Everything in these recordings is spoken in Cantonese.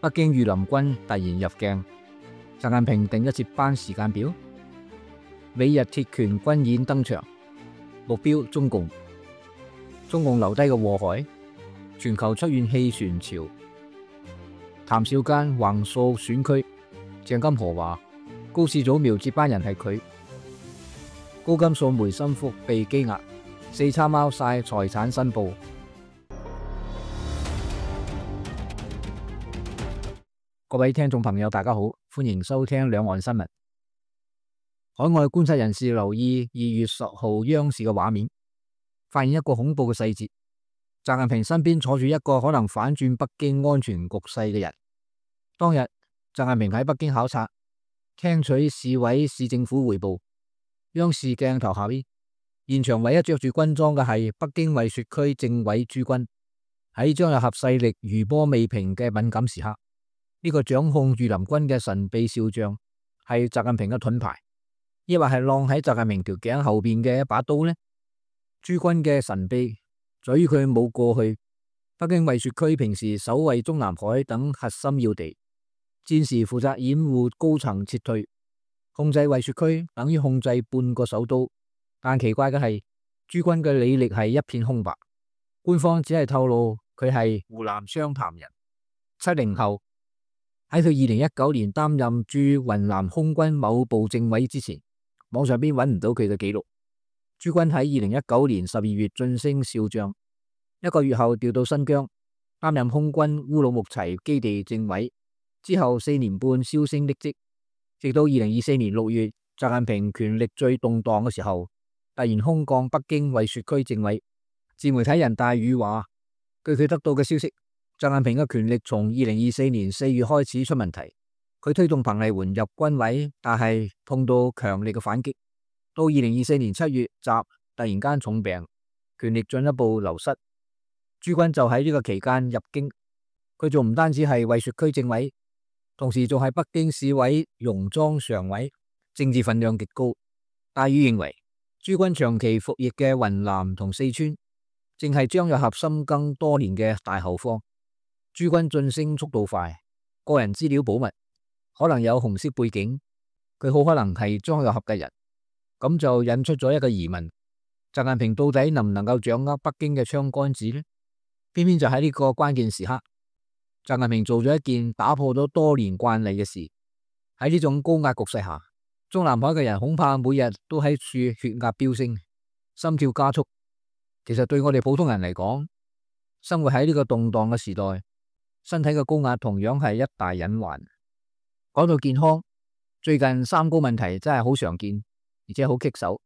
北京御林軍突然入鏡，習近平定咗接班時間表。美日鐵拳軍演登場，目標中共。中共留低嘅禍害，全球出現棄船潮。譚少奸橫掃選區，鄭金河話高市早苗接班人係佢。高金素梅心腹被羈押，四叉貓晒財產申報。各位聽眾朋友大家好，歡迎收聽兩岸新聞。海外觀察人士留意2月10號央視嘅畫面，發現一個恐怖嘅細節，習近平身邊坐住一個可能反轉北京安全局勢嘅人。當日習近平喺北京考察，聽取市委市政府匯報。央視鏡頭下邊，現場唯一着住軍裝嘅係北京惠雪區政委朱軍。喺張又俠勢力餘波未平嘅敏感時刻，呢個掌控御林軍嘅神秘少將係習近平嘅盾牌，抑或係晾喺習近平條頸後邊嘅一把刀呢？朱軍嘅神秘在於佢冇過去。北京惠雪區平時守衛中南海等核心要地，戰時負責掩護高層撤退，控制惠雪區等於控制半個首都。但奇怪嘅係，朱軍嘅履歷係一片空白，官方只係透露佢係湖南湘潭人，70後。喺佢2019年擔任駐雲南空軍某部政委之前，網上邊揾唔到佢嘅記錄。朱軍喺2019年12月晉升少將，1個月後調到新疆擔任空軍烏魯木齊基地政委，之後4年半銷聲匿跡，直到2024年6月，習近平權力最動盪嘅時候，突然空降北京惠雪區政委。自媒體人大宇話，據佢得到嘅消息，習近平嘅權力從2024年4月開始出問題，佢推動彭麗媛入軍委，但係碰到強力嘅反擊。到2024年7月，習突然間重病，權力進一步流失。朱軍就喺呢個期間入京，佢仲唔單止係惠雪區政委，同時仲係北京市委戎莊常委，政治分量極高。大宇認為，朱軍長期服役嘅雲南同四川，正係張又俠深耕多年嘅大後方。朱軍晉升速度快，個人資料保密，可能有紅色背景，佢好可能係張又俠嘅人。咁就引出咗一個疑問：習近平到底能唔能夠掌握北京嘅槍桿子呢？偏偏就喺呢個關鍵時刻，習近平做咗一件打破咗多年慣例嘅事。喺呢種高壓局勢下，中南海嘅人恐怕每日都喺處血壓飆升，心跳加速。其實對我哋普通人嚟講，生活喺呢個動盪嘅時代，身體嘅高壓同樣係一大隱患。講到健康，最近三高問題真係好常見，而且好棘手。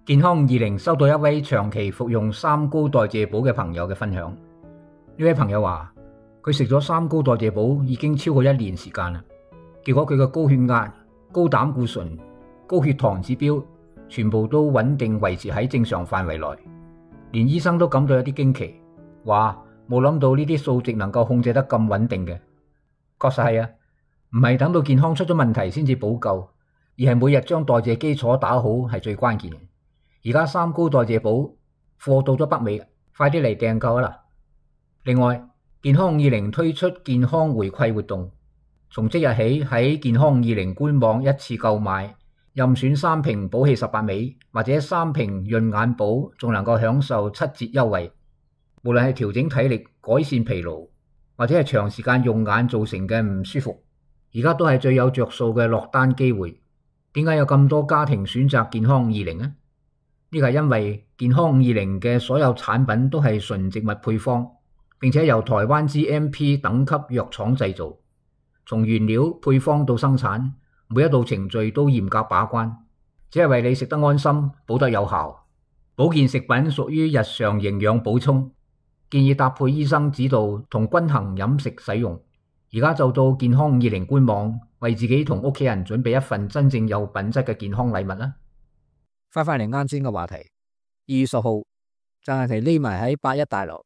健康20收到一位長期服用三高代謝寶嘅朋友嘅分享。呢位朋友話，佢食咗三高代謝寶已經超過1年時間啦，結果佢嘅高血壓、高膽固醇、高血糖指標全部都穩定維持喺正常範圍內，連醫生都感到有啲驚奇，話冇諗到呢啲數值能夠控制得咁穩定嘅。確實係啊，唔係等到健康出咗問題先至補救，而係每日將代謝基礎打好係最關鍵嘅。而家三高代謝寶貨到咗北美，快啲嚟訂購啦！另外，健康50推出健康回饋活動，從即日起喺健康20官網一次購買任選3瓶寶氣18味或者3瓶潤眼寶，仲能夠享受7折優惠。無論係調整體力、改善疲勞，或者係長時間用眼造成嘅唔舒服，而家都係最有着數嘅落單機會。點解有咁多家庭選擇健康20呢？呢個係因為健康50嘅所有產品都係純植物配方，並且由台灣 GMP 等級藥廠製造，從原料配方到生產，每一道程序都嚴格把關，只係為你食得安心，補得有效。保健食品屬於日常營養補充，建議搭配醫生指導同均衡飲食使用。而家就到健康20官網，為自己同屋企人準備一份真正有品質嘅健康禮物啦。翻返嚟啱先嘅話題，2月10號，習近平匿埋喺8·1大樓，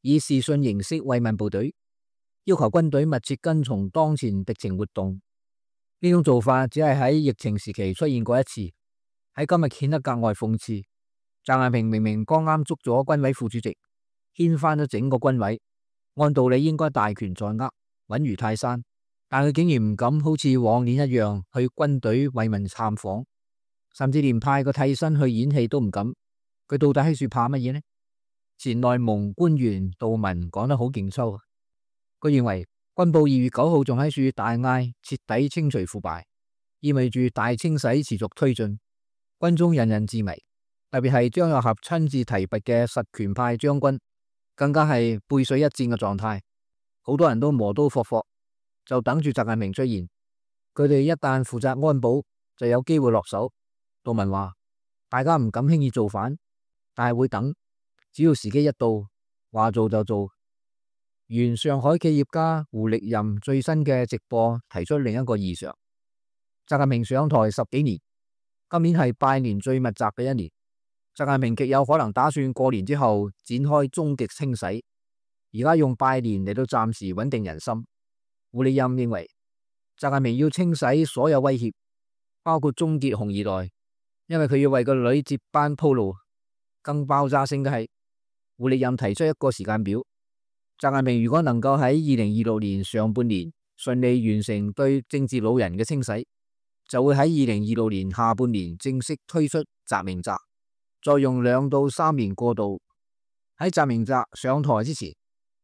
以視訊形式慰問部隊，要求軍隊密切跟從當前敵情活動。呢種做法只係喺疫情時期出現過一次，喺今日顯得格外諷刺。習近平明明剛啱捉咗軍委副主席，掀翻咗整個軍委，按道理應該大權在握，穩如泰山，但佢竟然唔敢好似往年一樣去軍隊慰問探訪，甚至連派個替身去演戲都唔敢。佢到底喺處怕乜嘢呢？前內蒙官員杜文講得好勁抽，佢認為軍部2月9號仲喺處大嗌徹底清除腐敗，意味住大清洗持續推進，軍中人人自危，特別係張又俠親自提拔嘅實權派將軍，更加係背水一戰嘅狀態。好多人都磨刀霍霍，就等住習近平出現。佢哋一旦負責安保，就有機會落手。杜文話：大家唔敢輕易造反，但係會等，只要時機一到，話做就做。原上海企業家胡力任最新嘅直播提出另一個異常：習近平上台10幾年，今年係拜年最密集嘅一年，習近平極有可能打算過年之後展開終極清洗。而家用拜年嚟到暫時穩定人心。胡力任認為，習近平要清洗所有威脅，包括終結紅二代，因為佢要為個女接班鋪路。更爆炸性嘅係，胡力任提出一個時間表：習近平如果能夠喺2026年上半年順利完成對政治老人嘅清洗，就會喺2026年下半年正式推出習明澤，再用2到3年過渡。喺習明澤上台之前，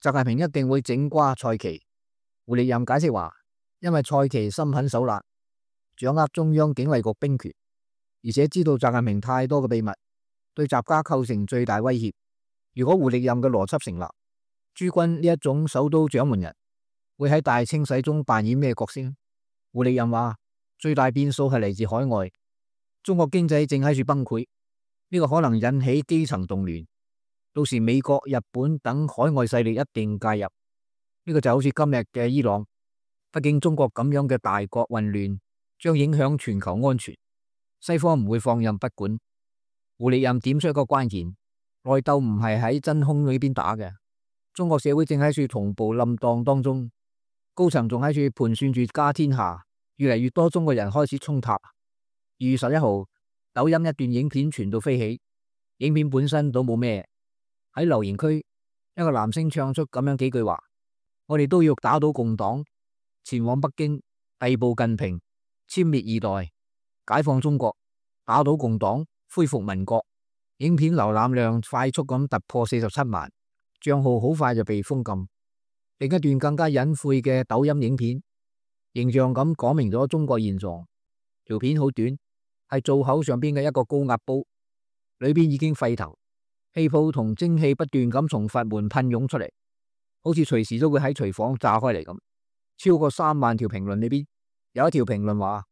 習近平一定會整瓜蔡奇。胡力任解釋話，因為蔡奇心狠手辣，掌握中央警衛局兵權，而且知道習近平太多嘅秘密，對習家構成最大威脅。如果胡力任嘅邏輯成立，朱軍呢一種首都掌門人會喺大清洗中扮演咩角色？胡力任話，最大變數係嚟自海外，中國經濟正喺處崩潰，呢個可能引起基層動亂。到時美國、日本等海外勢力一定介入，呢個就好似今日嘅伊朗。畢竟中國咁樣嘅大國混亂將影響全球安全，西方唔會放任不管。胡力任點出一個關鍵：內鬥唔係喺真空裏邊打嘅，中國社會正喺處同步冧蕩當中，高層仲喺處盤算住家天下，越嚟越多中國人開始衝塔。2月11號，抖音一段影片傳到飛起，影片本身都冇咩。喺留言區，一個男星唱出咁樣幾句話：我哋都要打倒共黨，前往北京逮捕近平，殲滅二代，解放中國，打倒共黨，恢復民國。影片瀏覽量快速咁突破47萬，賬號好快就被封禁。另一段更加隱晦嘅抖音影片，形象咁講明咗中國現狀。條片好短，係灶口上邊嘅一個高壓煲，裏邊已經沸騰。氣泡同蒸汽不斷咁從閥門噴湧出嚟，好似隨時都會喺廚房炸開嚟咁。超過3萬條評論裏邊，有一條評論話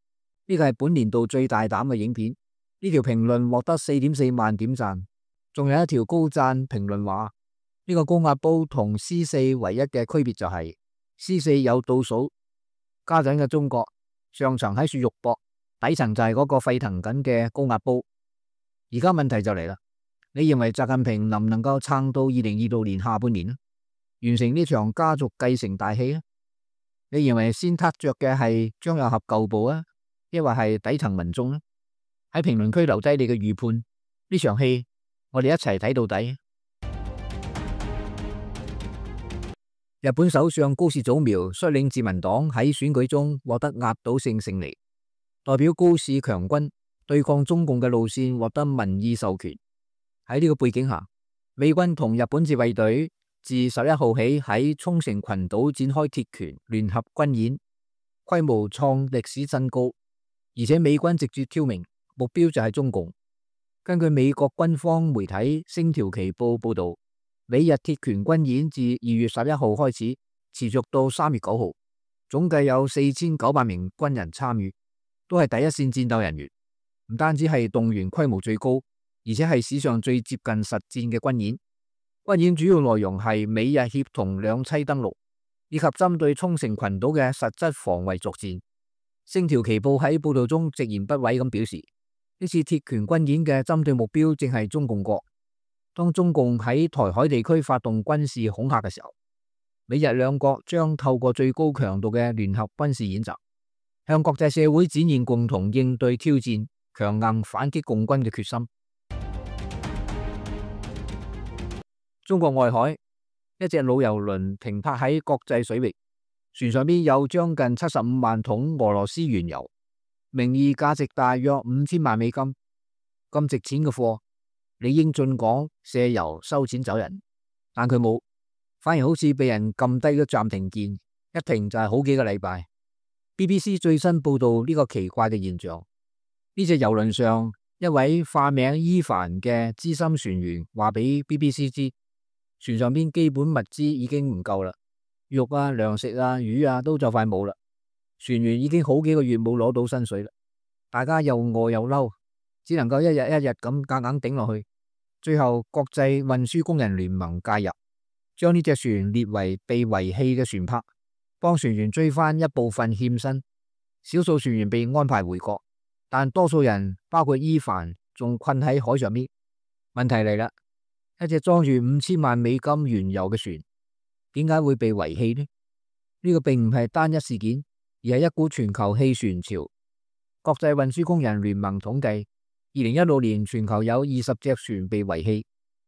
呢個係本年度最大膽嘅影片。呢條評論獲得4.4萬點讚。仲有一條高讚評論話呢個高壓煲同 C4 唯一嘅區別就係 C4 有倒數。家陣嘅中國上層喺處肉搏，底層就係嗰個沸騰緊嘅高壓煲。而家問題就嚟啦。你認為習近平能唔能夠撐到2026年下半年呢？完成呢場家族繼承大戲呢？你認為先撻着嘅係張又俠舊部啊，抑或係底層民眾呢？喺評論區留低你嘅預判，呢場戲我哋一齊睇到底。日本首相高市早苗率領自民黨喺選舉中獲得壓倒性勝利，代表高市強軍對抗中共嘅路線獲得民意授權。喺呢個背景下，美軍同日本自衛隊自11號起喺沖繩群島展開鐵拳聯合軍演，規模創歷史新高，而且美軍直接挑明目標就係中共。根據美國軍方媒體《星條旗報》報道，美日鐵拳軍演自2月11號開始，持續到3月9號，總計有4900名軍人參與，都係第一線戰鬥人員。唔單止係動員規模最高，而且係史上最接近實戰嘅軍演。軍演主要內容係美日協同兩棲登陸，以及針對沖繩群島嘅實質防衛作戰。星條旗報喺報道中直言不諱咁表示，呢次鐵拳軍演嘅針對目標正係中共國。當中共喺台海地區發動軍事恐嚇嘅時候，美日兩國將透過最高強度嘅聯合軍事演習，向國際社會展現共同應對挑戰、強硬反擊共軍嘅決心。中國外海，一隻老油輪停泊喺國際水域，船上邊有將近75萬桶俄羅斯原油，名義價值大約5000萬美金，咁值錢嘅貨，理應進港卸油收錢走人，但佢冇，反而好似被人撳低咗暫停鍵，一停就係好幾個禮拜。BBC 最新報道呢個奇怪嘅現象，呢隻郵輪上一位化名伊凡嘅資深船員話俾 BBC 知，船上邊基本物資已經唔夠啦，肉啊、糧食啊、魚啊都就快冇啦。船員已經好幾個月冇攞到薪水啦，大家又餓又嬲，只能夠一日一日咁夾硬頂落去。最後國際運輸工人聯盟介入，將呢隻船列為被遺棄嘅船舶，幫船員追翻一部分欠薪。少數船員被安排回國，但多數人包括伊凡仲困喺海上面。問題嚟啦，一隻裝住5000萬美金原油嘅船，點解會被遺棄呢？呢個並唔係單一事件，而係一股全球棄船潮。國際運輸工人聯盟統計，2016年全球有20隻船被遺棄，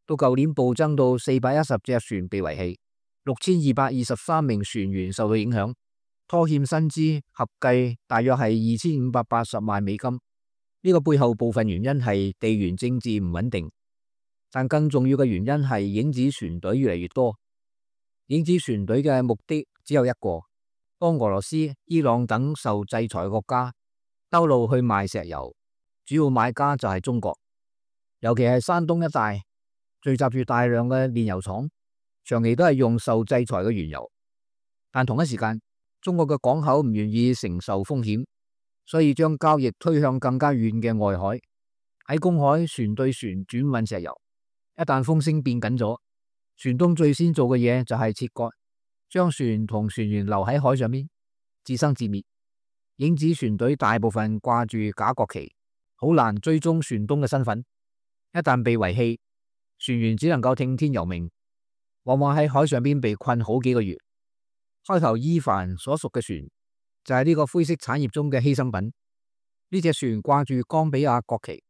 到舊年暴增到410隻船被遺棄，6223名船員受到影響，拖欠薪資合計大約係2580萬美金。呢個背後部分原因係地緣政治唔穩定，但更重要嘅原因係影子船隊越嚟越多。影子船隊嘅目的只有一個，幫俄羅斯、伊朗等受制裁國家兜路去賣石油，主要買家就係中國，尤其係山東一帶聚集住大量嘅煉油廠，長期都係用受制裁嘅原油。但同一時間，中國嘅港口唔願意承受風險，所以將交易推向更加遠嘅外海，喺公海船對船轉運石油。一旦風聲變緊咗，船東最先做嘅嘢就係切割，將船同船員留喺海上面，自生自滅。影子船隊大部分掛住假國旗，好難追蹤船東嘅身份。一旦被遺棄，船員只能夠聽天由命，往往喺海上邊被困好幾個月。開頭伊凡所屬嘅船就係呢個灰色產業中嘅犧牲品。呢隻船掛住岡比亞國旗，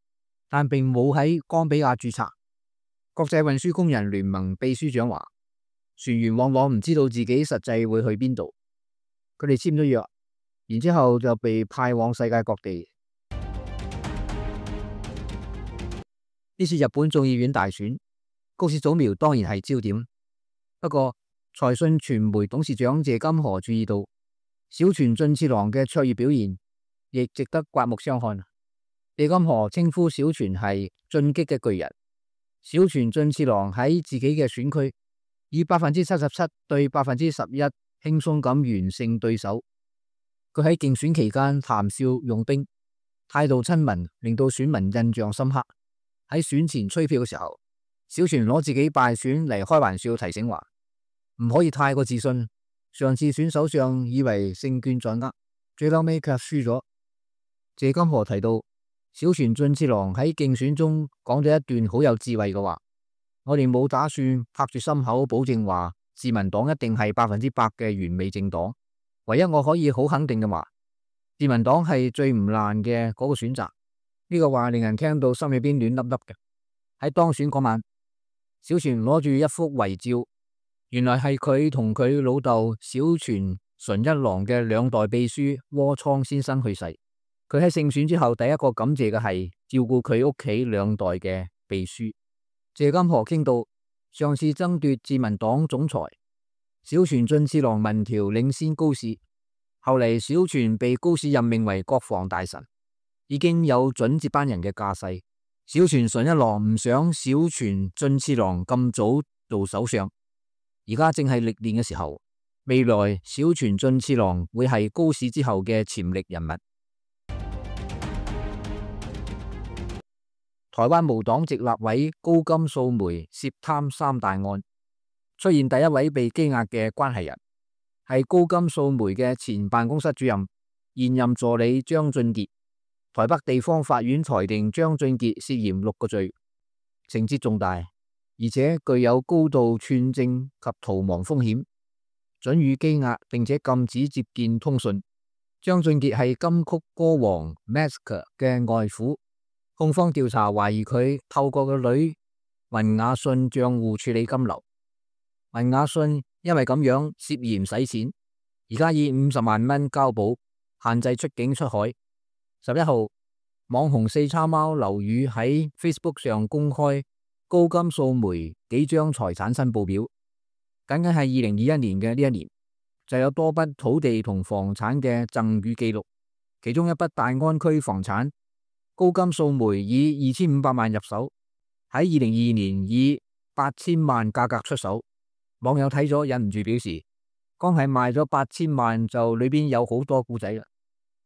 但並冇喺岡比亞註冊。國際運輸工人聯盟秘書長話，船員往往唔知道自己實際會去邊度，佢哋簽咗約，然之後就被派往世界各地。呢次日本眾議院大選，高市早苗當然係焦點。不過財訊傳媒董事長謝金河注意到，小泉進次郎嘅卓越表現亦值得刮目相看。謝金河稱呼小泉係進擊嘅巨人。小泉進次郎喺自己嘅選區以77%對11%輕鬆咁完勝對手。佢喺競選期間談笑用兵，態度親民，令到選民印象深刻。喺選前吹票嘅時候，小泉攞自己敗選嚟開玩笑，提醒話唔可以太過自信。上次選首相以為勝券在握，最後尾卻輸咗。謝金河提到，小泉進次郎喺競選中講咗一段好有智慧嘅話，我哋冇打算拍住心口保證話自民黨一定係100%嘅完美政黨。唯一我可以好肯定嘅話，自民黨係最唔爛嘅嗰個選擇。呢個話令人聽到心裏邊暖粒粒嘅。喺當選嗰晚，小泉攞住一幅遺照，原來係佢同佢老豆小泉純一郎嘅兩代秘書窩倉先生去世。佢喺勝選之後第一個感謝嘅係照顧佢屋企兩代嘅秘書。謝金河傾到上次爭奪自民黨總裁，小泉進次郎民調領先高市，後嚟小泉被高市任命為國防大臣，已經有準接班人嘅架勢。小泉純一郎唔想小泉進次郎咁早做首相，而家正係歷練嘅時候。未來小泉進次郎會係高市之後嘅潛力人物。台灣無黨籍立委高金素梅涉貪3大案，出現第一位被羈押嘅關係人，係高金素梅嘅前辦公室主任、現任助理張俊傑。台北地方法院裁定張俊傑涉嫌6個罪，情節重大，而且具有高度串證及逃亡風險，准予羈押並且禁止接見通訊。張俊傑係金曲歌王 Mask 嘅外父。控方調查懷疑佢透過個女文雅信賬戶處理金流，文雅信因為咁樣涉嫌洗錢，而家以50萬蚊交保，限制出境出海。11號，網紅四叉貓劉宇喺 Facebook 上公開高金素梅幾張財產申報表，僅僅係2021年嘅呢一年，就有多筆土地同房產嘅贈與記錄。其中一筆大安區房產，高金素梅以2500萬入手，喺2022年以8000萬價格出手。網友睇咗忍唔住表示，光係賣咗8000萬就裏邊有好多故仔啦。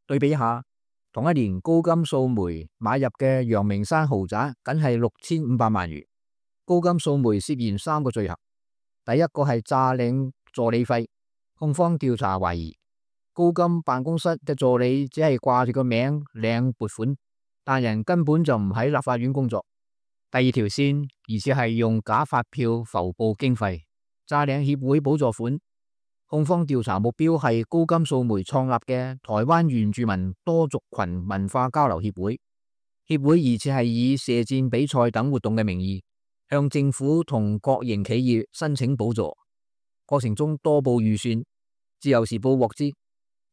對比一下，同一年高金素梅買入嘅陽明山豪宅僅係6500萬元。高金素梅涉嫌3個罪行，第一個係詐領助理費，控方調查懷疑高金辦公室嘅助理只係掛住個名領撥款，但人根本就唔喺立法院工作。第二條線疑似係用假發票浮報經費，詐領協會補助款。控方調查目標係高金素梅創立嘅台灣原住民多族群文化交流協會，協會疑似係以射箭比賽等活動嘅名義向政府同國營企業申請補助，過程中多報預算。自由時報獲知，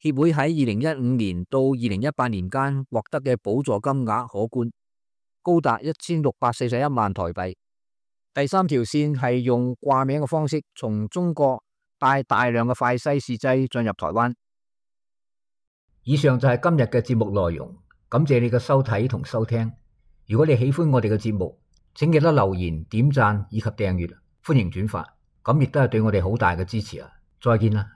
協會喺2015年到2018年間獲得嘅補助金額可觀，高達1641萬台幣。第三條線係用掛名嘅方式從中國帶大量嘅快篩試劑進入台灣。以上就係今日嘅節目內容，感謝你嘅收睇同收聽。如果你喜歡我哋嘅節目，請記得留言、點讚以及訂閱，歡迎轉發，咁亦都係對我哋好大嘅支持啊！再見啦。